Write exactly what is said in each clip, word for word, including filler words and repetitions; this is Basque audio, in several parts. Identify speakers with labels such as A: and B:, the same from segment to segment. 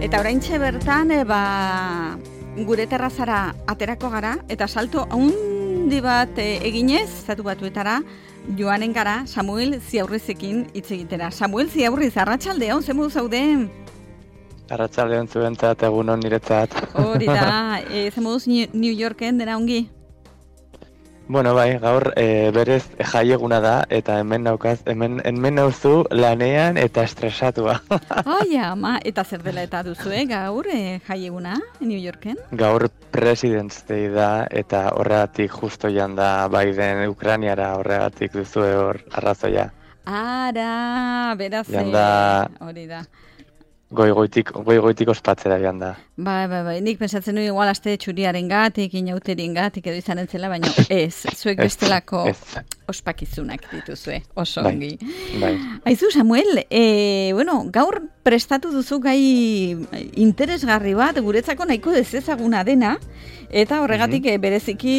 A: Eta oraintxe bertan, e, ba, gure terrazara aterako gara, eta salto handi bat e, eginez, Estatu Batuetara, joanen gara Samuel Ziaurrizekin hitz egitera. Samuel Ziaurriz, arratsaldeon, ze modu zaude?
B: Arratsaldeon zuentzat, egunon niretzat.
A: Hori da, e, ze moduz New Yorken dena ongi?
B: Bueno, bai, gaur e, berez jaieguna da, eta hemen naukaz, hemen, hemen nauzu lanean eta estresatua.
A: Ai, ama, eta zer dela eta duzu, eh, gaur e, jaieguna New Yorken?
B: Gaur President's Day da, eta horregatik justo joan da Biden Ukrainiara, horregatik duzu hor arrazoia.
A: Ara, beraz, hori da.
B: Goigoitik, goigoitik ospatzera joan da.
A: Bai, bai, bai, nik pensatzen nuen igual aste txuriaren gatik, inauterien gatik edo izanen zela, baina ez, zuek bestelako ospakizunak dituzue, oso ongi.
B: Bai.
A: Aizu, Samuel, e, bueno, gaur prestatu duzu gai interesgarri bat, guretzako nahiko dezezaguna dena, eta horregatik mm-hmm. bereziki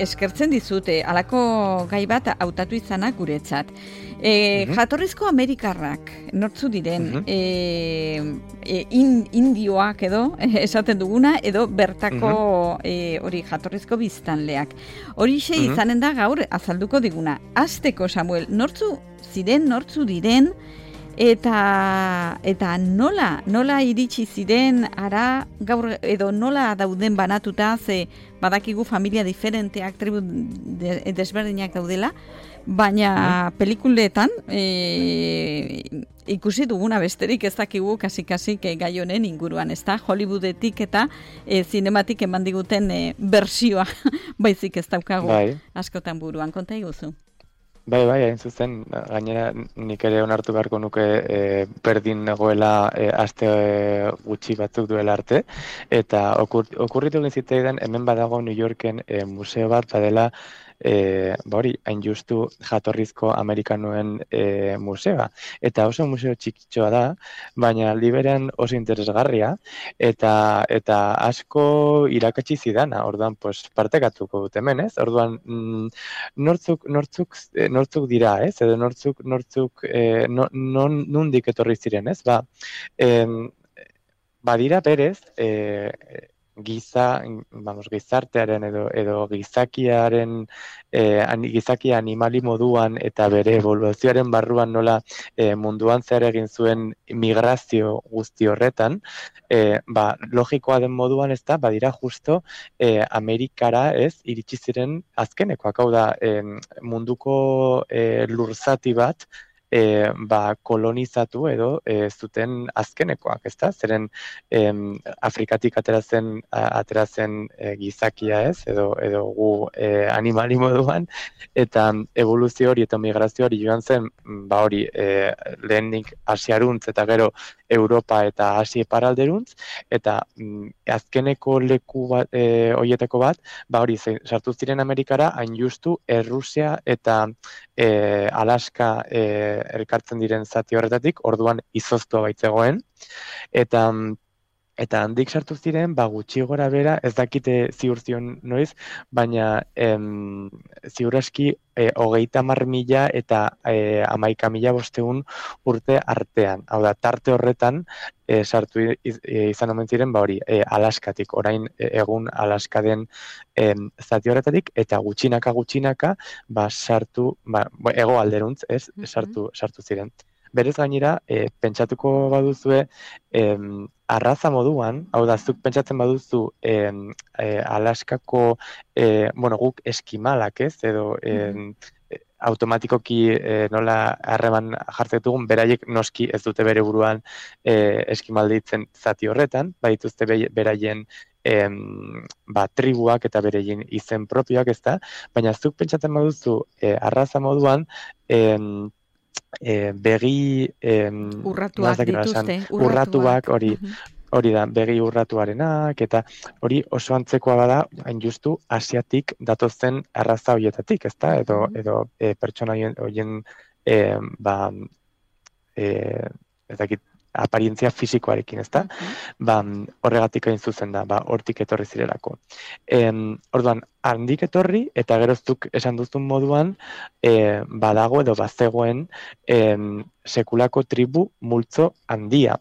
A: eskertzen dizute, halako gai bat hautatu izanak guretzat. E, mm-hmm. Jatorrizko Amerikarrak, nortzu diren, mm-hmm. e, e, in, indioak edo, esaten duguna, edo bertako mm-hmm. hori e, jatorrizko biztanleak. Horixe mm-hmm. izanen da gaur azalduko diguna. Azteko, Samuel, nortzu ziren, nortzu diren, eta eta nola, nola iritsi ziren ara gaur edo nola dauden banatuta, ze badakigu familia diferenteak, tribu de, desberdinak daudela, baina mm. pelikuletan e, ikusi duguna besterik ez dakigu kasi-kasi gai honen inguruan, ez da? Hollywoodetik eta e, zinematik eman diguten e, bersioa baizik ez daukagu
B: bai.
A: Askotan buruan, konta iguzu.
B: Bai, bai, hain zuzen, gainera nik ere onartu beharko nuke e, berdin nagoela e, aste e, gutxi batzuk duela arte, eta okur, okurritu egin zitzaidan hemen badago New Yorken e, museo bat badela E, ba hori, hain justu jatorrizko Amerikanoen e, museoa. Eta oso museo txikitxoa da, baina liberan oso interesgarria, eta eta asko irakatsi zidana, orduan pues, partekatuko dut hemen, ez? Orduan, mm, nortzuk, nortzuk, nortzuk dira, ez? Edo nortzuk, nortzuk, e, no, non, nundik etorri ziren, ez? Ba, em, badira berez, e, giza, vamos, gizartearen edo edo gizakiaren eh, gizakia animali moduan eta bere eboluzioaren barruan nola eh, munduan zer egin zuen migrazio guzti horretan, eh, ba, logikoa den moduan ez da, badira justo eh, Amerikara ez iritsi ziren azkenekoak, hau da eh, munduko eh, lurzati bat E, ba, kolonizatu edo e, zuten azkenekoak, ezta? Zeren em, Afrikatik ateratzen ateratzen e, gizakia ez, edo edo gu e, animali moduan, eta evoluzio hori eta migrazio hori joan zen, ba hori e, lehenik Asiaruntz eta gero Europa eta Asia iparralderuntz, eta mm, azkeneko leku bat, e, horietako bat, ba hori sartu ziren Amerikara, hain justu Errusia eta e, Alaska e, elkartzen diren zati horretatik, orduan izoztua baitzegoen, eta eta handik sartu ziren, ba gutxi gora bera, ez dakite ziur zion noiz, baina em, ziur aski e, hogeita hamar mila eta e, hamaika mila bosteun urte artean. Hau da, tarte horretan e, sartu iz, e, izan omen ziren, ba hori, e, Alaskatik, orain e, egun Alaska den e, zati horretatik, eta gutxinaka gutxinaka, ba sartu, ba, ego alderuntz, ez, sartu, sartu ziren. Berez gainera, e, pentsatuko baduzue, em, arraza moduan, hau da, zuk pentsatzen baduzu e, e, Alaskako, e, bueno, guk eskimalak ez, edo e, mm-hmm. automatikoki e, nola harreman jartzen dugun, beraiek noski ez dute bere buruan e, eskimalditzen zati horretan, badituzte be, beraien em, ba, tribuak eta bereien izen propioak ez da, baina zuk pentsatzen baduzu e, arraza moduan, em, E, begi em,
A: urratuak dituzte,
B: urratuak hori hori da, begi urratuarenak eta hori oso antzekoa bada, hain justu asiatik datozen arraza horietatik, ezta? Edo edo e, pertsona horien e, ba e, ez dakit aparientzia fisikoarekin, ezta? Ba, horregatik hain zuzen da, ba, hortik etorri zirelako. Em, orduan, handik etorri, eta geroztuk esan duzun moduan, e, badago edo bazegoen em, sekulako tribu multzo handia.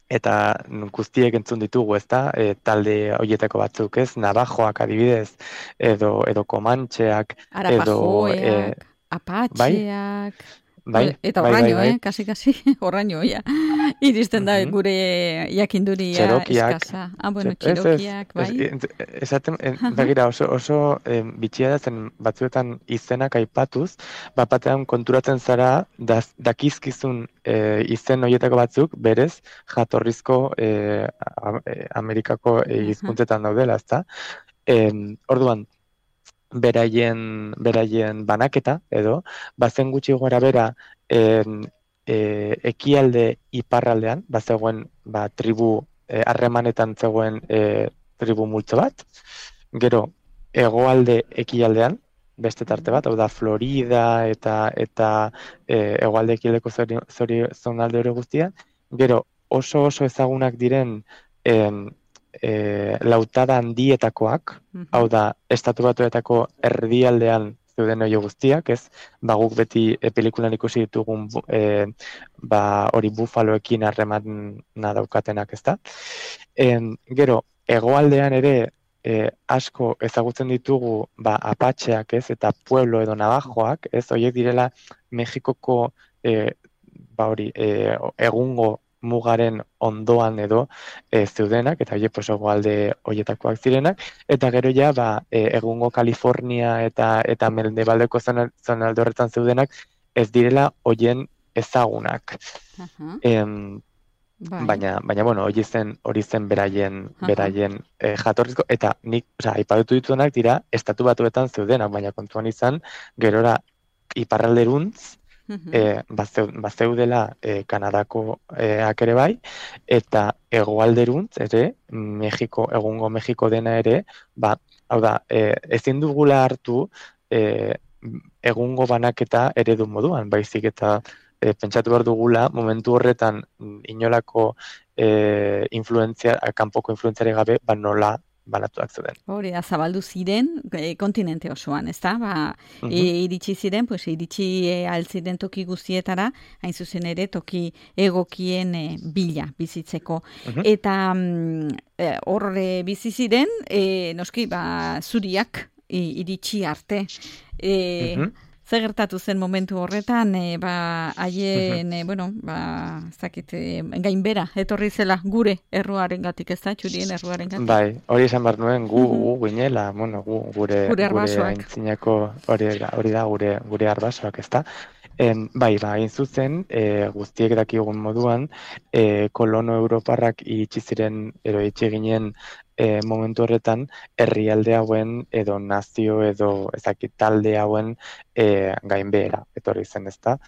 B: eta guztiek entzun ditugu, ezta? E, talde horietako batzuk, ez? Navajoak adibidez, edo edo Komantxeak, edo e,
A: Arapajoeak,
B: bai,
A: apatxeak,
B: bai,
A: eta
B: bai, bai,
A: horraino,
B: bai.
A: eh? Kasi-kasi, horraino, ja. Iristen da
B: Mhm.
A: gure jakinduria
B: Txerokiak,
A: eskasa. Ah, bueno,
B: txe- ez, ez,
A: txirokiak,
B: ez,
A: bai.
B: ez, esaten, en- begira, oso, oso em, bitxia da zen batzuetan izenak aipatuz, bat batean konturatzen zara, daz, dakizkizun e, izen horietako batzuk, berez, jatorrizko e, a- e, Amerikako e,
A: Aha.
B: hizkuntzetan daudela, ezta? Em, orduan, beraien, beraien banaketa, edo, bazen gutxi gora bera, em, e, ekialde iparraldean, bazegoen ba, tribu e, harremanetan zegoen e, tribu multzo bat, gero hegoalde ekialdean, beste tarte bat, hau da Florida eta eta e, hegoalde ekialdeko zori, zori zonalde hori guztia, gero oso oso ezagunak diren em, e, lautada handietakoak, hau
A: Mhm.
B: da, estatu batuetako erdialdean zeuden hori guztiak, ez? Ba, guk beti e, pelikulan ikusi ditugun bu- e, ba, hori bufaloekin harremana daukatenak, ezta? Em, gero, hegoaldean ere e, asko ezagutzen ditugu ba, apatxeak, ez? Eta pueblo edo navajoak, ez? Horiek direla Mexikoko e, ba hori, e, egungo mugaren ondoan edo e, zeudenak, eta horiek pues, hegoalde horietakoak zirenak, eta gero ja, ba, e, egungo Kalifornia eta eta mendebaldeko zonal- zonalde horretan zeudenak, ez direla hoien ezagunak.
A: Aha.
B: Em,
A: Bai.
B: baina, baina bueno, hori zen, hori zen beraien,
A: Aha.
B: beraien e, jatorrizko, eta nik, osea, aipatu dituenak dira, estatu batuetan zeudenak, baina kontuan izan, gerora iparralderuntz,
A: Mhm.
B: e, bazeu, bazeudela e, Kanadako e, ere bai, eta hegoalderuntz ere, Mexiko, egungo Mexiko dena ere, ba, hau da, e, ezin dugula hartu e, egungo banaketa eredu moduan, baizik eta e, pentsatu behar dugula, momentu horretan mm, inolako e, influentzia, kanpoko influentziarik gabe, ba nola banatuak zeuden.
A: Hori da, zabaldu ziren e, kontinente osoan, ezta? Ba, e,
B: Mhm,
A: iritsi ziren, pues iritsi e, altziren toki guztietara, hain zuzen ere toki egokien e, bila bizitzeko.
B: mhm,
A: Eta mm, e, hor e, bizi ziren, e, noski, ba, zuriak i- iritsi arte. E,
B: mhm,
A: Zer gertatu zen momentu horretan, e, ba,
B: mhm.
A: haien, e, bueno, ba, ez dakit, e, gainbera, etorri zela gure erruarengatik, ez da, txurien erruarengatik.
B: Bai, hori esan behar nuen, gu,
A: Mhm.
B: gu ginela, bueno, gu, gure,
A: Gure
B: gure
A: arbasoak.
B: aintzinako hori, da- hori da gure, gure arbasoak, ezta? Em, bai, ba, hain zuzen, e, guztiek dakigun moduan, e, kolono europarrak iritsi ziren, ero itxi ginen e, momentu horretan, herrialde hauen, edo nazio, edo ezakit talde hauen e, gainbehera, etorri zen, ezta?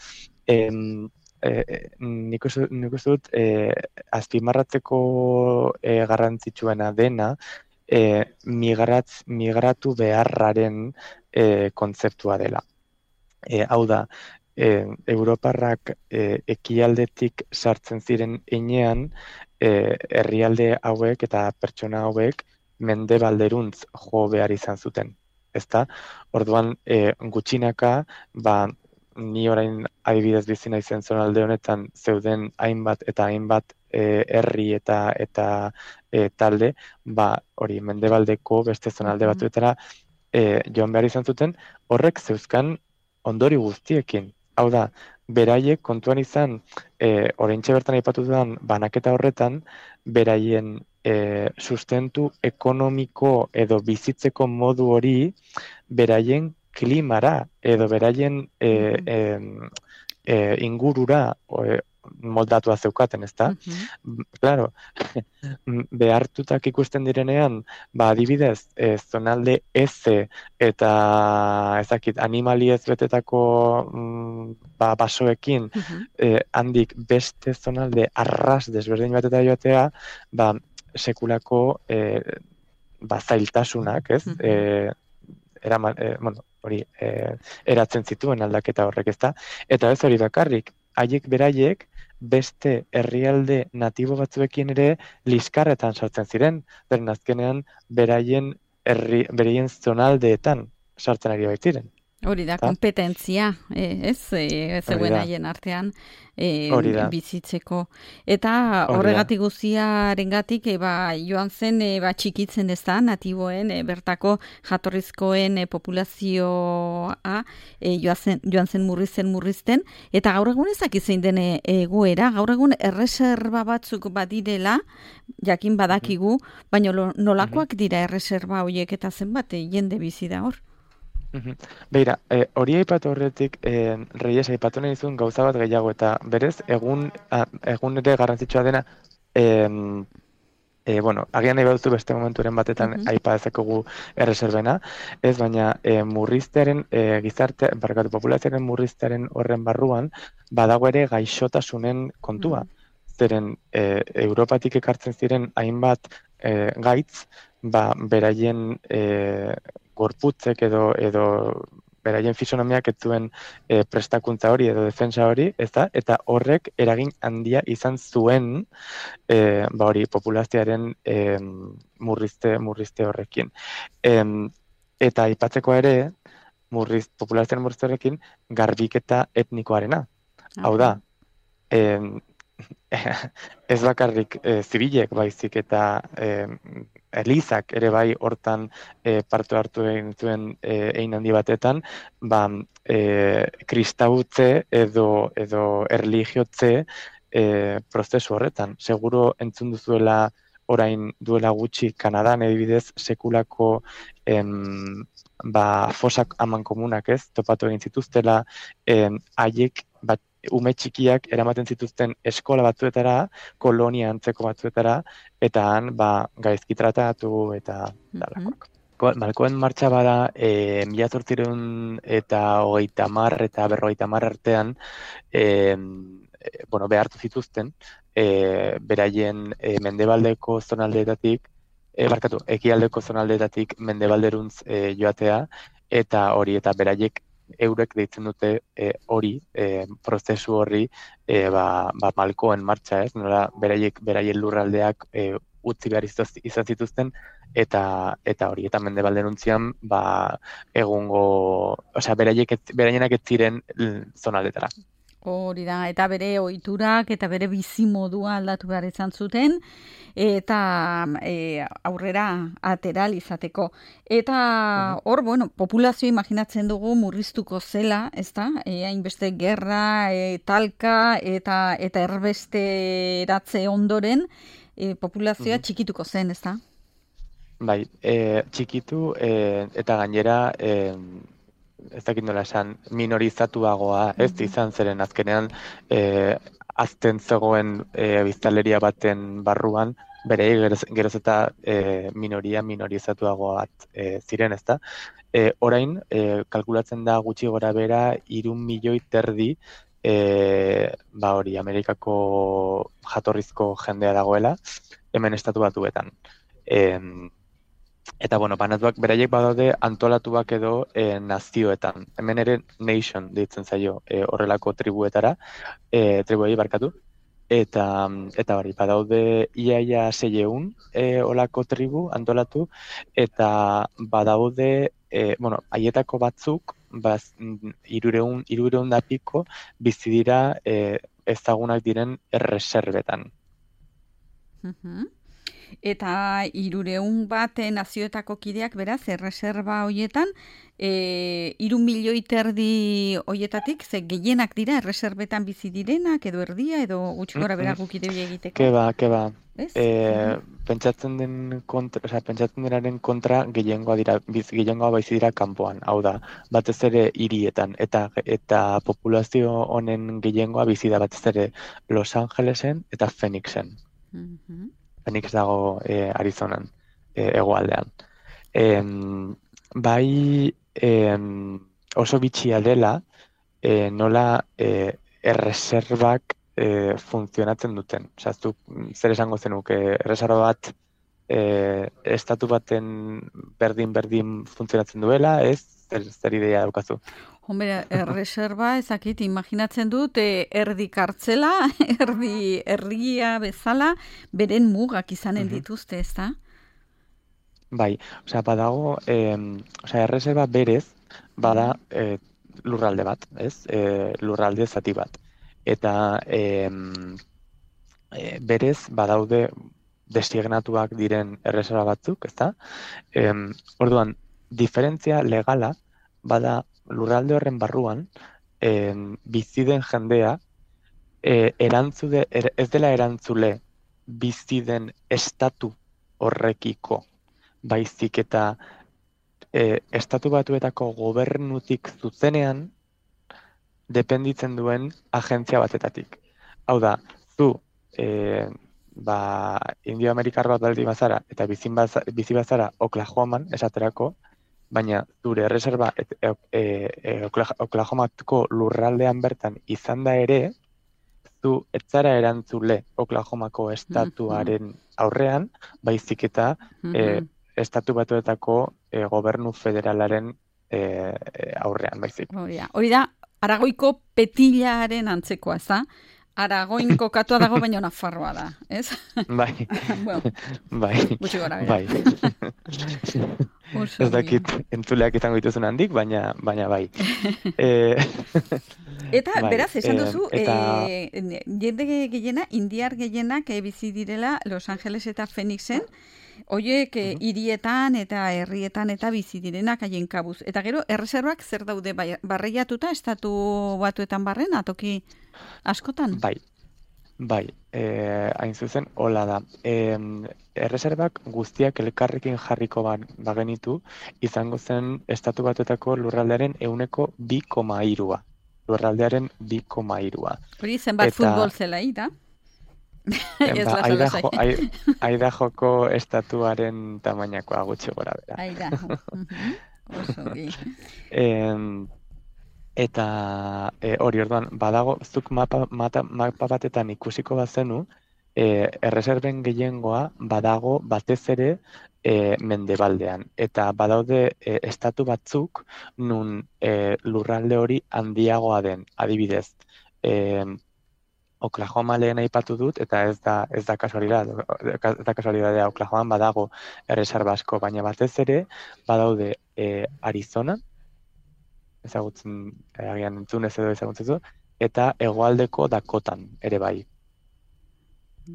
B: Em, e, e, nik uste nik uste dut, e, azpimarratzeko e, garrantzitsuena dena, e, migratz, migratu beharraren e, kontzeptua dela. E, hau da, e, Europarrak e, ekialdetik sartzen ziren heinean, e, herrialde hauek eta pertsona hauek mendebalderuntz jo behar izan zuten. Ezta? Orduan, e, gutxinaka, ba, ni orain adibidez bizi naizen zonalde honetan zeuden hainbat eta hainbat e, herri eta eta e, talde, ba, hori mendebaldeko beste zonalde
A: Mhm.
B: batzuetara e, joan behar izan zuten, horrek zeuzkan ondori guztiekin. Hau da, beraiek kontuan izan, e, oraintxe bertan aipatu dudan banaketa horretan, beraien e, sustentu ekonomiko edo bizitzeko modu hori, beraien klimara edo beraien e,
A: Mhm.
B: em, e, ingurura e, moldatua zeukaten, ezta?
A: Mhm.
B: M, Claro, behartutak ikusten direnean, ba adibidez, e, zonalde eze eta ezakit animali ez betetako mm, ba, basoekin
A: Mhm.
B: e, handik beste zonalde arras desberdin bateta joatea, ba sekulako e, ba, zailtasunak, ez?
A: Mhm.
B: E, eraman, e, bueno, hori e, eratzen zituen aldaketa horrek, ezta? Eta ez hori bakarrik, haiek beraiek beste herrialde natibo batzuekin ere liskarretan sartzen ziren, beren azkenean beraien herri, beraien zonaldeetan sartzen ari baitziren.
A: Hori da, kompetentzia, eh, ez, eh, zeuen haien artean eh, bizitzeko. Eta horregatik guztiarengatik eh, ba, joan zen eh, ba, txikitzen ez da, natiboen, eh, bertako jatorrizkoen eh, populazioa eh, joan, zen, joan zen murrizten murrizten, eta gaur egun ezak izein den egoera, gaur egun erreserba batzuk badirela, jakin badakigu, baina nolakoak dira erreserba horiek eta zenbat eh, jende bizi da hor?
B: Beira, hori aipatu horretik, eh, Reyes aipatu nahi zuen gauza bat gehiago, eta berez, egun, a, egun ere garrantzitsua dena, eh, eh, bueno, agian nahi baduzu beste momenturen batetan uh -huh. aipa dezakogu erreserbena, ez baina eh, murriztearen, eh, gizarte, barkatu, populazioaren murriztearen horren barruan, badago ere gaixotasunen kontua. Uh -huh. Zeren, eh, Europatik ekartzen ziren hainbat eh, gaitz, ba, beraien eh, gorputzek edo edo beraien fisonomiak ez zuen e, prestakuntza hori edo defensa hori, ezta? Eta horrek eragin handia izan zuen e, ba hori populazioaren e, murrizte murrizte horrekin. E, eta aipatzeko ere murriz populazioaren murrizte horrekin garbiketa etnikoarena. Okay. Hau da, e, ez bakarrik e, zibilek baizik eta e, Elizak ere bai hortan e, parte hartu egin zuen e, egin handi batetan, ba, e, kristautze edo, edo erligiotze e, prozesu horretan. Seguro entzun duzuela orain duela gutxi Kanadan edibidez sekulako em, ba, fosak aman komunak ez, topatu egin zituztela, em, haiek bat, ume txikiak eramaten zituzten eskola batzuetara, kolonia antzeko batzuetara, eta han ba, gaizki tratatu eta dalakoak. Mm-hmm. Malkoen martxa bada, e, mila zortziehun eta hogeita hamar eta berrogeita hamar artean, e, bueno, behartu zituzten, e, beraien e, mendebaldeko zonaldeetatik, e, barkatu, ekialdeko zonaldeetatik mendebalderuntz e, joatea, eta hori, eta beraiek eurek deitzen dute hori, e, e, prozesu horri, e, ba, ba malkoen martxa, ez? Nola, beraiek, beraien lurraldeak e, utzi behar izan zituzten, eta eta hori, eta mendebalderuntzian, ba, egungo, osea, beraiek, beraienak ez ziren zonaldetara.
A: Hori da, eta bere ohiturak eta bere bizimodua aldatu behar izan zuten, eta e, aurrera atera izateko. Eta hor, bueno, populazio imaginatzen dugu murriztuko zela, ezta? E, hainbeste gerra, e, talka eta eta erbesteratze ondoren e, populazioa txikituko zen, ezta?
B: Bai, e, txikitu e, eta gainera e, ez dakit nola esan, minorizatuagoa, ez mm-hmm. izan zeren azkenean e, azten zegoen e, biztanleria baten barruan, bere geroz, geroz eta e, minoria minorizatuagoa bat e, ziren, ezta? E, orain, e, kalkulatzen da gutxi gora bera, hiru milioi terdi e, ba hori, Amerikako jatorrizko jendea dagoela, hemen estatu batuetan. E, Eta, bueno, banatuak beraiek badaude antolatuak edo e, nazioetan. Hemen ere nation deitzen zaio e, horrelako tribuetara, e, tribuei barkatu. Eta, eta bari, badaude iaia seieun e, olako tribu antolatu, eta badaude, e, bueno, haietako batzuk, baz, irureun, irureun da piko, bizi dira e, ezagunak diren erreserbetan.
A: Mhm. Eta hirureun bat nazioetako kideak beraz, erreserba hoietan, e, hiru milioi terdi hoietatik, ze gehienak dira erreserbetan bizi direnak, edo erdia, edo gutxi gora bera gukide egiteko.
B: Keba, keba. E, pentsatzen den kontra, o sea, pentsatzen denaren kontra gehiengoa dira, biz, gehiengoa baizi dira kanpoan, hau da, batez ere hirietan, eta eta populazio honen gehiengoa bizi da batez ere Los Angelesen eta Phoenixen. Mhm. Phoenix dago e, Arizonan, e, hegoaldean. E, bai e, oso bitxia dela, e, nola e, erreserbak e, funtzionatzen duten. Osea, zuk zer esango zenuke, erreserba bat e, estatu baten berdin-berdin funtzionatzen duela, ez? Zer, zer idea daukazu?
A: Hombre, erreserba ezakit, imaginatzen dut, eh, erdi kartzela, erdi herria bezala, beren mugak izanen dituzte, ez da?
B: Bai, osea, badago, eh, osea, erreserba berez, bada e, lurralde bat, ez? E, lurralde zati bat. Eta e, e, berez badaude designatuak diren erreserba batzuk, ezta? E, orduan, diferentzia legala bada lurralde horren barruan e, bizi den jendea e, erantzude, er, ez dela erantzule bizi den estatu horrekiko, baizik eta e, estatu batuetako gobernutik zuzenean dependitzen duen agentzia batetatik. Hau da, zu e, ba, Indio Amerikar bat baldi bazara eta bizi bazara Oklahoman esaterako, baina zure erreserba et, e, e, Oklahomako lurraldean bertan izan da ere, zu ez zara erantzule Oklahomako estatuaren aurrean, baizik eta e, estatu batuetako e, gobernu federalaren e, aurrean, baizik.
A: Hori da, Aragoiko petilaren antzekoa, ez da? Aragoin kokatua dago, baina Nafarroa da, ez?
B: Bai,
A: bueno,
B: bai,
A: gutxi gora bera.
B: Bai. Ez dakit entzuleak izango dituzun handik, baina, baina bai. e...
A: Eta,
B: bai,
A: beraz, esan duzu,
B: eta...
A: e, jende gehiena, indiar gehienak e, bizi direla Los Angeles eta Phoenixen, Oiek uh-huh. hirietan eta herrietan eta bizi direnak haien kabuz. Eta gero, erreserbak zer daude barreiatuta estatu batuetan barren, atoki askotan?
B: Bai, bai, e, hain zuzen, hola da. E, erreserbak guztiak elkarrekin jarriko bagenitu, izango zen estatu batuetako lurraldearen euneko bi koma hirua. Lurraldearen bi koma hirua.
A: Hori zenbat eta... futbol zelai da?
B: Ba, aida, jo, aida joko estatuaren tamainakoa gutxi gora bera.
A: Aida. Oso,
B: e, eta e, hori orduan, badago, zuk mapa, mata, mapa batetan ikusiko bazenu, e, erreserben gehiengoa badago batez ere e, mendebaldean. Eta badaude e, estatu batzuk nun e, lurralde hori handiagoa den, adibidez. E, Oklahoma lehen aipatu dut, eta ez da, ez da kasualidad, ez da kasualidadea Oklahoman badago erreserba asko, baina batez ere badaude e, Arizona, ezagutzen, e, agian entzunez edo ezagutzen, eta hegoaldeko Dakotan ere bai.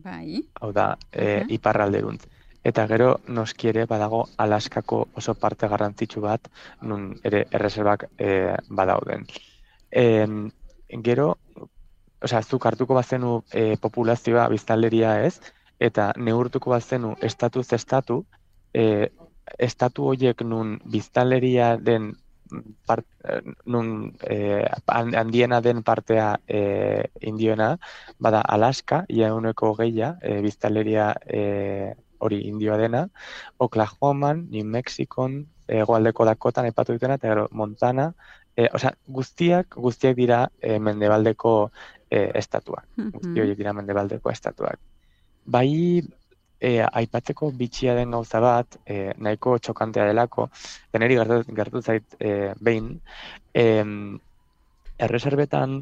A: Bai.
B: Hau da, e, uh-huh. iparralderuntz. Eta gero noski ere badago Alaskako oso parte garrantzitsu bat, nun ere erreserbak e, badauden. E, gero, Osea, zuk hartuko bazenu e, populazioa biztanleria ez, eta neurtuko bazenu estatuz estatu, e, estatu horiek nun biztanleria den, part, nun e, handiena den partea e, indioena, bada Alaska, ia euneko geia, e, biztanleria e, hori indioa dena, Oklahoman, New Mexikon, hegoaldeko Dakotan aipatu dutena, eta gero Montana, e, osea, guztiak, guztiak dira e, mendebaldeko E, estatuak, guzti horiek dira mendebaldeko estatuak. Bai, e, aipatzeko bitxia den gauza bat, e, nahiko txokantea delako, deneri gertu, gertu zait e, behin, e, erreserbetan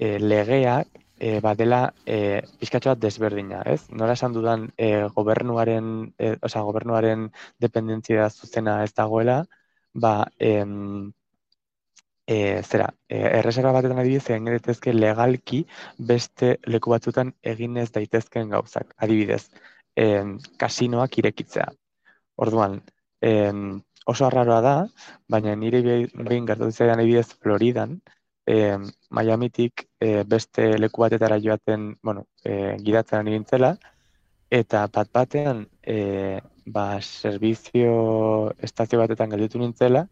B: e, legeak e, badela e, pixkatxo bat desberdina, ez? Nola esan dudan e, gobernuaren, e, osea, gobernuaren dependentzia zuzena ez dagoela, ba, em, E, zera, e, erreserba batetan adibidez egin daitezke legalki beste leku batzutan egin ez daitezken gauzak. Adibidez, e, kasinoak irekitzea. Orduan, e, oso arraroa da, baina nire behin gertatu zaidan adibidez Floridan, e, Miamitik e, beste leku batetara joaten, bueno, e, gidatzen nintzela, eta bat batean, e, ba, servizio estazio batetan gelditu nintzela,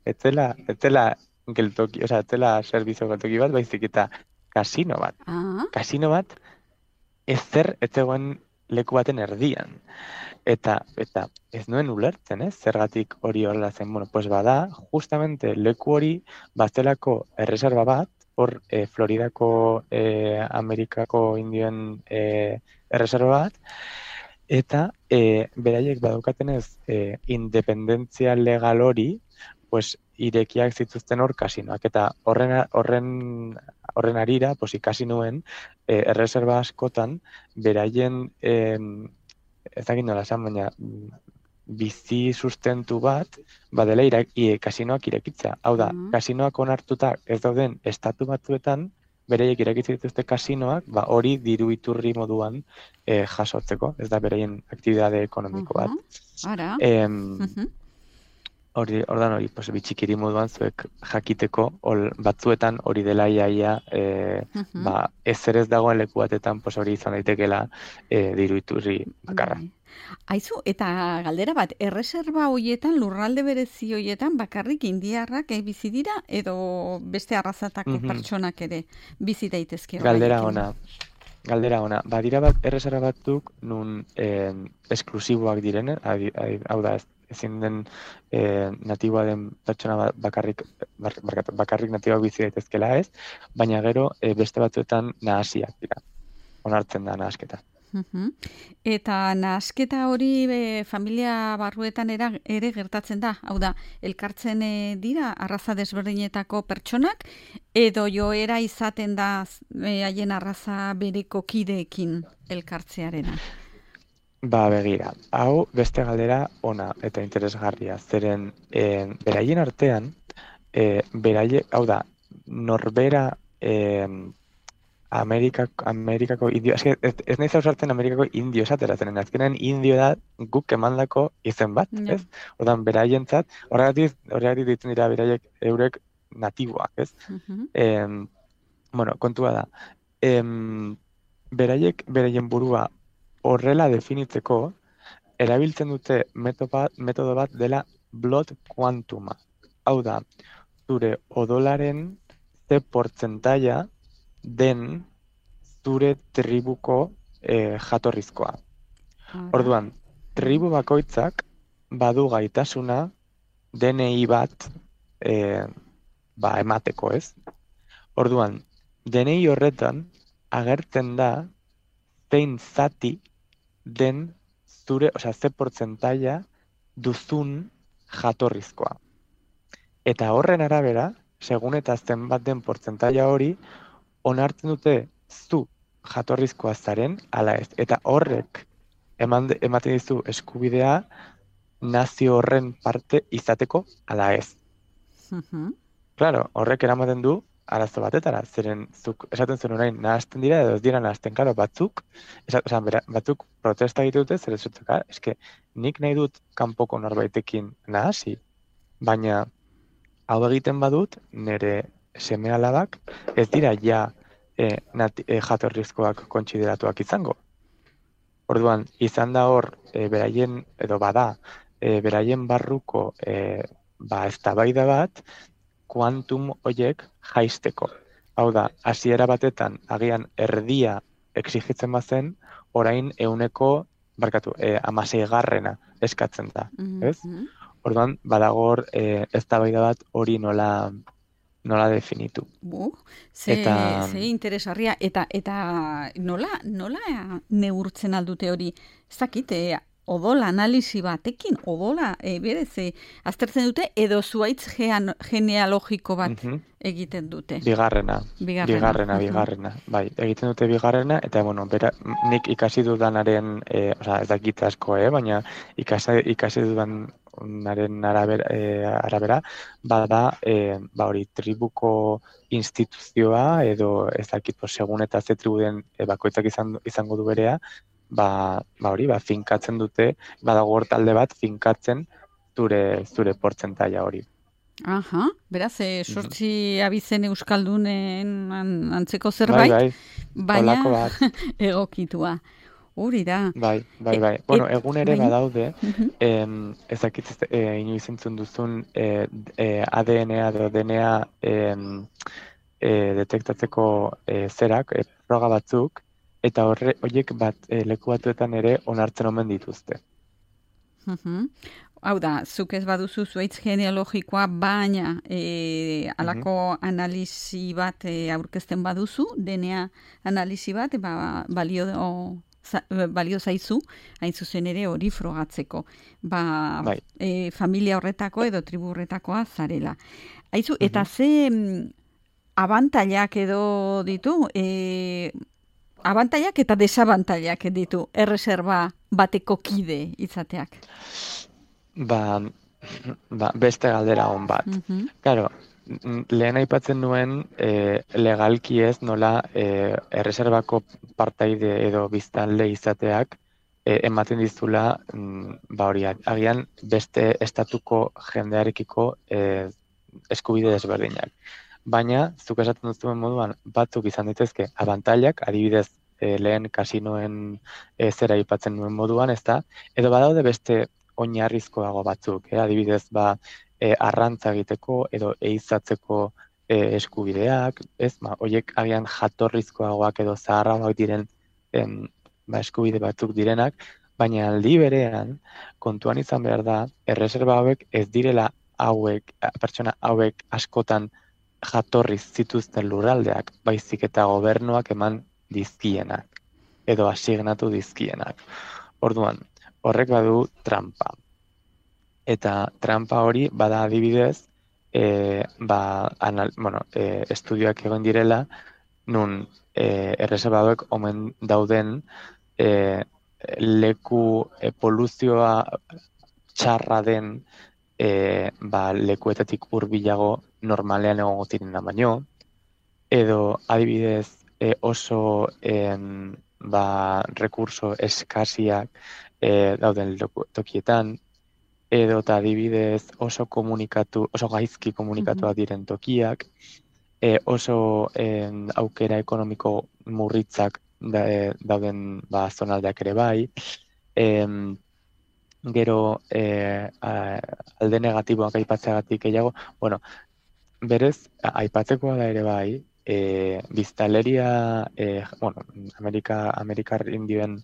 B: etzela, etzela geltoki, osea, etzela servizio geltoki bat, baizik eta kasino bat.
A: Ah.
B: Kasino bat, ezer etzegoen leku baten erdian. Eta, eta ez nuen ulertzen, ez? Zergatik hori horrela zen, bueno, pues bada, justamente leku hori baztelako erreserba bat, hor e, Floridako, e, Amerikako indioen e, erreserba bat, eta e, beraiek badaukatenez e, independentzia legal hori, pues irekiak zituzten hor kasinoak, eta horren horren horren arira, pues ikasi nuen e, erreserba askotan beraien e, ez dakit nola esan, baina bizi sustentu bat, badela ira, i, kasinoak irekitzea. Hau da,
A: Mhm.
B: kasinoak onartuta ez dauden estatu batzuetan, bereiek irekitzen dituzte kasinoak, ba, hori diru iturri moduan eh, jasotzeko, ez da bereien aktibitate ekonomiko bat.
A: Mhm. Ara.
B: Em,
A: Mhm.
B: hori, ordan hori, pues, bitxikiri moduan zuek jakiteko, ol, batzuetan hori dela iaia, e,
A: Mhm.
B: ba, ezer ez dagoen leku batetan, pues, hori izan daitekeela e, diru iturri bakarra.
A: Bai. Aizu, eta galdera bat, erreserba hoietan, lurralde berezi hoietan, bakarrik indiarrak eh, bizi dira, edo beste arrazatako
B: Mhm.
A: pertsonak ere bizi daitezke
B: Galdera
A: horrekin?
B: ona. Galdera ona. Badira bat erreserba batzuk nun eh, esklusiboak direne, adi, adi, hau da, ez- ezin den eh, natiboa den pertsona ba- bakarrik, bar- barkatu, bakarrik natiboak bizi daitezkela ez, baina gero eh, beste batzuetan nahasiak dira. Onartzen da nahasketa.
A: Mhm. Eta nahasketa hori be, familia barruetan era, ere gertatzen da. Hau da, elkartzen eh, dira arraza desberdinetako pertsonak, edo joera izaten da eh, haien arraza bereko kideekin elkartzearena.
B: Ba, begira, hau beste galdera ona eta interesgarria. Zeren eh, beraien artean, eh, beraie, hau da, norbera eh, Amerikak, Amerikako indio, eske, ez, ez nahiz ausartzen Amerikako indio esateratzen, azkenean indio da guk emandako izen bat,
A: Ja.
B: ez? Ordan beraientzat, horregatik, horregatik ditzen dira beraiek eurek natiboak, ez?
A: Mhm.
B: Em, bueno, kontua da, em, beraiek beraien burua horrela definitzeko, erabiltzen dute metodo bat, metodo bat dela blood quantuma. Hau da, zure odolaren ze portzentaia den zure tribuko eh, jatorrizkoa.
A: Ara.
B: Orduan, tribu bakoitzak badu gaitasuna D N I bat eh, ba, emateko, ez? Orduan, D N I horretan agertzen da zein zati den zure, osea, ze portzentaia duzun jatorrizkoa. Eta horren arabera, segun eta zenbat den portzentaia hori, onartzen dute zu jatorrizkoa zaren, ala ez. Eta horrek eman, ematen dizu eskubidea nazio horren parte izateko, ala ez.
A: Mhm.
B: Claro, horrek eramaten du arazo batetara, zeren zuk esaten zuen orain nahasten dira edo ez dira nahasten, claro, batzuk, esa, oza, bera, batzuk protesta egite dute, zer ez dut, eske nik nahi dut kanpoko norbaitekin nahasi, baina hau egiten badut, nire seme-alabak ez dira ja e, nati, e, jatorrizkoak kontsideratuak izango. Orduan, izan da hor, e, beraien, edo bada, e, beraien barruko e, ba, eztabaida bat, kuantum hoiek jaisteko. Hau da, hasiera batetan, agian erdia exigitzen bazen, orain euneko, barkatu, e, amaseigarrena eskatzen da, ez?
A: Mhm.
B: Orduan, badago hor e, eztabaida bat hori nola nola definitu.
A: Bu, ze,
B: Eta-
A: ze interesgarria. Eta, eta nola, nola neurtzen aldute hori? Ez dakit, eh, odol analisi batekin, odola, e, berez, eh, aztertzen dute, edo zuaitz gean, genealogiko bat
B: Mhm.
A: egiten dute.
B: Bigarrena,
A: Bigarrena.
B: bigarrena,
A: Mhm.
B: bigarrena. Bai, egiten dute bigarrena, eta, bueno, bera, nik ikasi dudanaren, e, osea, ez dakit asko, eh, baina ikasi, ikasi dudanaren arabera, e, arabera bada, e, ba hori, tribuko instituzioa, edo ez dakit, pues, segun eta ze tribuden e, bakoitzak izan, izango du berea, ba, ba hori, ba, finkatzen dute, badago hor talde bat finkatzen zure, zure portzentaia hori.
A: Aha, beraz, eh, sortzi abizen euskaldunen an- antzeko zerbait,
B: Bai, bai, holako
A: baina
B: bat.
A: egokitua. Hori da.
B: Bai, bai,
A: E-
B: bai. Bueno,
A: et-
B: egun ere
A: bai.
B: badaude,
A: Mhm.
B: em, ez dakit ez- e, inoiz entzun duzun e, e, A D N A edo D N A em, e, detektatzeko e, zerak, e, froga batzuk, eta horre, horiek bat e, leku batzuetan ere onartzen omen dituzte.
A: Mhm. Hau da, zuk ez baduzu zuaitz genealogikoa, baina e, alako analisi bat e, aurkezten baduzu, D N A analisi bat, ba, balio, za, balio zaizu, hain zuzen ere hori frogatzeko. Ba,
B: Bai.
A: e, familia horretako edo tribu horretakoa zarela. Haizu, eta ze mm, abantailak edo ditu, e, abantailak eta desabantailak ditu erreserba bateko kide izateak.
B: Ba, ba, beste galdera on bat.
A: Mhm.
B: Claro, n- lehen aipatzen nuen e, legalki ez nola e, erreserbako partaide edo biztanle izateak e, ematen dizula mm, ba hori agian beste estatuko jendearekiko e, eskubide desberdinak. Baina, zuk esaten duzuen moduan, batzuk izan daitezke abantailak, adibidez, e, lehen kasinoen e, zera aipatzen nuen moduan, ezta? Edo badaude beste oinarrizkoago batzuk, eh? Adibidez, ba, e, arrantza egiteko edo ehizatzeko e, eskubideak, ez? Ba, hoiek agian jatorrizkoagoak edo zaharragoak diren em, ba, eskubide batzuk direnak, baina aldi berean kontuan izan behar da, erreserba hauek ez direla hauek, pertsona hauek askotan jatorriz zituzten lurraldeak, baizik eta gobernuak eman dizkienak, edo asignatu dizkienak. Orduan, horrek badu trampa. Eta trampa hori bada adibidez, e, ba, anal, bueno, e, estudioak egon direla, nun e, erreserba hauek omen dauden e, leku e, poluzioa txarra den e, ba, lekuetatik hurbilago normalean egongo direna baino, edo adibidez e, oso em, ba, rekurso eskasiak e, dauden leku- tokietan, edo eta adibidez oso komunikatu, oso gaizki
A: Mhm.
B: komunikatuak diren tokiak, e, oso em, aukera ekonomiko murritzak da, e, dauden ba, zonaldeak ere bai, em, gero e, a, alde negatiboak aipatzeagatik gehiago, bueno, berez, a- aipatzekoa da ere bai, e, biztanleria, e, bueno, Amerika, Amerikar indioen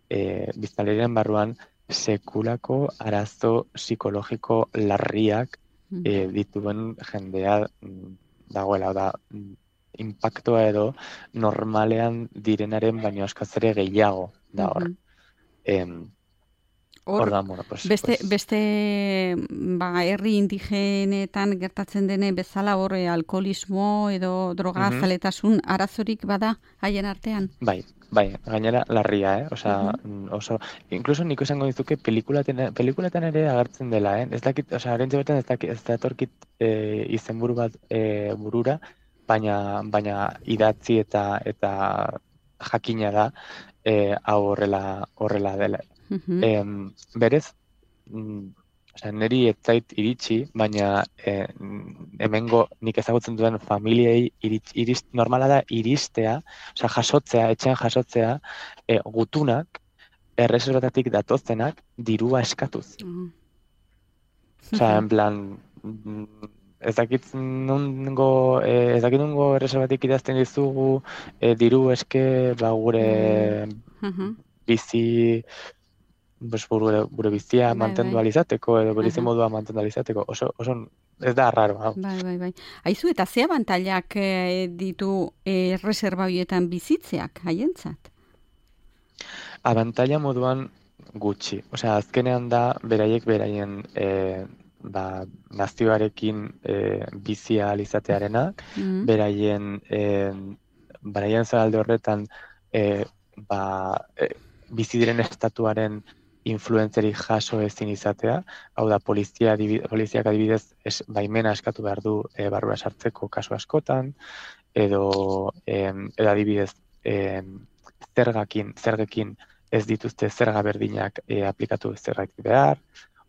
B: e, biztanlerian barruan sekulako arazo psikologiko larriak
A: Mhm.
B: e, dituen jendea mm, dagoela, da, mm, impactoa edo normalean direnaren baino askoz ere gehiago da hor.
A: Mhm.
B: Em,
A: Hor,
B: Ordan, bueno, pues,
A: beste,
B: pues,
A: beste ba, herri indigenetan gertatzen dene bezala hor eh, alkoholismo edo droga
B: mhm.
A: zaletasun arazorik bada haien artean.
B: Bai, bai, gainera larria, eh? Osea,
A: Mhm.
B: mm, oso, incluso niko esango dizuke pelikulaten, pelikuletan ere agertzen dela, eh? Ez dakit, osea, orentxe bertan ez dakit, ez datorkit eh, izenburu bat eh, burura, baina, baina idatzi eta eta jakina da eh, hau horrela, horrela dela.
A: Mhm.
B: Em, berez, mm, osea, niri ez zait iritsi, baina eh, hemengo nik ezagutzen duen familiei iritsi, irist, normala da iristea, osea, jasotzea, etxean jasotzea, e, gutunak, erreserbatatik datozenak, dirua eskatuz.
A: Ah.
B: Osea,
A: Mhm.
B: en plan, mm, ez dakit nungo, eh, ez dakit nungo erreserbatik idazten dizugu, eh, diru eske, ba,
A: Bai.
B: gure
A: Mhm.
B: bizi, pues, gure, gure bizia
A: Bai,
B: mantendu
A: bai.
B: alizateko, edo gure
A: Aha.
B: modua mantendu alizateko, oso, oso, ez da raro, hau.
A: Bai, bai, bai. Aizu, eta ze abantailak eh, ditu eh, reserba horietan bizitzeak haientzat?
B: Abantaila moduan gutxi. Osea, azkenean da beraiek beraien e, ba, nazioarekin e, bizi ahal izatearena,
A: Mhm.
B: beraien e, beraien zabalde horretan e, ba, e, bizi diren estatuaren influentzeri jaso ezin izatea, hau da polizia, adibi- poliziak adibidez es, baimena eskatu behar du e, barrura sartzeko kasu askotan, edo, em, edo adibidez em, zergakin, zergekin ez dituzte zerga berdinak e, aplikatu zergatik behar.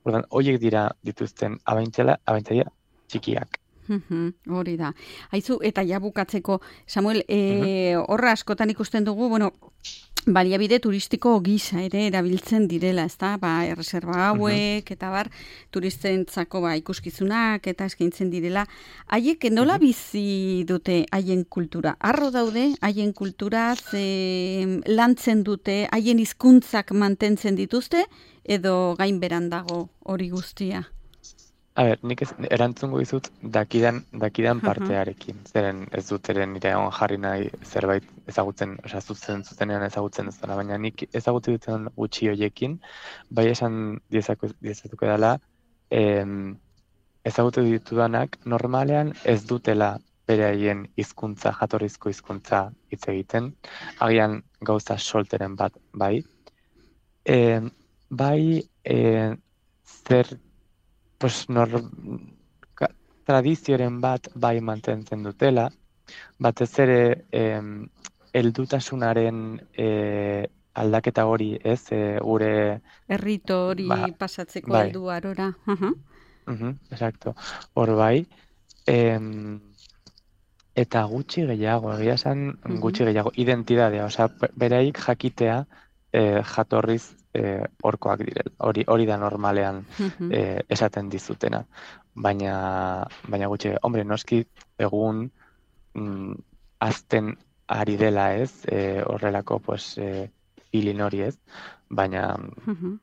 B: Ordan, horiek dira dituzten abaintzela, abaintzaia txikiak.
A: Mhm, hori da. Aizu, eta ja bukatzeko, Samuel,
B: Mhm,
A: e, horra askotan ikusten dugu, bueno, baliabide turistiko gisa ere erabiltzen direla, ezta? Ba, erreserba
B: mhm,
A: hauek, eta bar, turistentzako ba, ikuskizunak eta eskaintzen direla. Haiek nola
B: mhm.
A: bizi dute haien kultura? Arro daude, haien kultura, ze lantzen dute, haien hizkuntzak mantentzen dituzte, edo gainberan dago hori guztia?
B: A ber, nik ez, erantzungo dizut dakidan, dakidan
A: Mhm,
B: partearekin. Zeren ez dut eren nire egon jarri nahi zerbait ezagutzen, osea, zuzen, zuzenean ezagutzen ez dela, baina nik ezagutzen duten gutxi hoiekin, bai esan diezako, diezatuko dela, em, ezagutu ditudanak normalean ez dutela beraien hizkuntza, jatorrizko hizkuntza hitz egiten, agian gauza solteren bat, bai. Em, bai, e, zer pues, nor, ka, tradizioren bat bai mantentzen dutela, batez ere em, heldutasunaren e, aldaketa hori, ez, e, gure...
A: Errito hori
B: ba,
A: pasatzeko
B: bai,
A: heldu arora. Uh-huh.
B: uh-huh, exacto, hor bai, em, eta gutxi gehiago, egia esan gutxi gehiago, identidadea, osea, beraik jakitea e, jatorriz e, orkoak direla, hori hori da normalean
A: Uh-huh.
B: e, esaten dizutena, baina, baina gutxi, hombre, noski egun mm, azten ari dela ez, e, horrelako pues, e, filin hori ez, baina,
A: Uh-huh.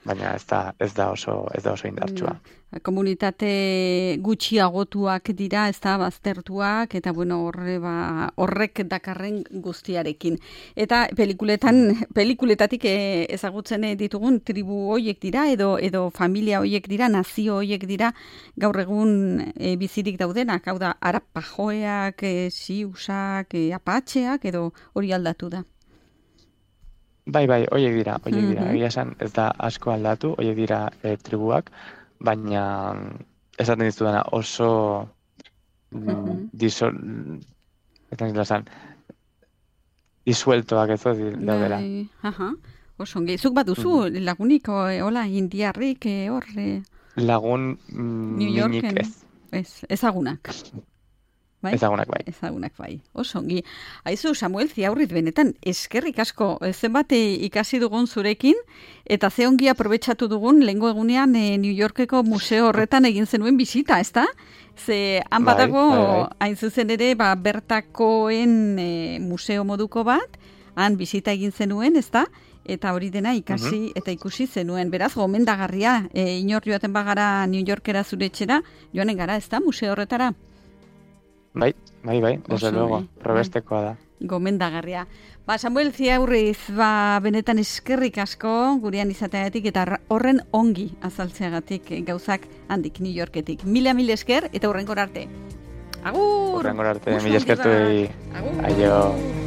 B: baina ez da, ez da oso, ez da oso indartsua.
A: No. Komunitate gutxiagotuak dira, ez da, baztertuak, eta bueno, horre ba, horrek dakarren guztiarekin. Eta pelikuletan, pelikuletatik eh, ezagutzen ditugun tribu hoiek dira, edo edo familia hoiek dira, nazio hoiek dira, gaur egun eh, bizirik daudenak, hau da, arapajoeak, eh, siusak, eh, apatxeak, edo hori aldatu da.
B: Bai, bai, hoiek dira, hoiek dira.
A: Mhm.
B: Egia esan ez da asko aldatu, hoiek dira e, tribuak, baina esaten dizudana oso mm,
A: Mhm.
B: disol, etan esan, disueltoak ez di- daudela.
A: Bai, aha. Oso ongi. Zuk baduzu
B: Mhm.
A: lagunik, o, hola, indiarrik, eh, hor, eh,
B: Lagun mm,
A: New
B: minik
A: Yorken,
B: ez,
A: ez, ezagunak. Bai?
B: ezagunak bai.
A: Ezagunak bai. Oso ongi. Aizu, Samuel Ziaurriz, benetan, eskerrik asko, eh, zenbat eh, ikasi dugun zurekin, eta ze ongi aprobetxatu dugun, lehengo egunean eh, New Yorkeko museo horretan egin zenuen bisita, ezta? Ze han
B: Bai,
A: badago,
B: bai, bai.
A: hain zuzen ere, ba, bertakoen eh, museo moduko bat, han bisita egin zenuen, ezta? Eta hori dena ikasi eta ikusi zenuen. Beraz, gomendagarria, e, inor joaten bagara New Yorkera zure etxera, joanen gara, ezta, museo horretara?
B: Bai, bai, bai, desde
A: Oso
B: luego,
A: ongi,
B: probestekoa da.
A: Gomendagarria. Ba, Samuel Ziaurriz, ba, benetan eskerrik asko gurean izateagatik eta horren ongi azaltzeagatik eh, gauzak handik New Yorketik. Mila mil esker eta hurrenkor arte. Agur!
B: Hurrengora arte,
A: Oso
B: mila
A: ongi
B: eskertu
A: bat.
B: egin.
A: Agur!
B: Aio.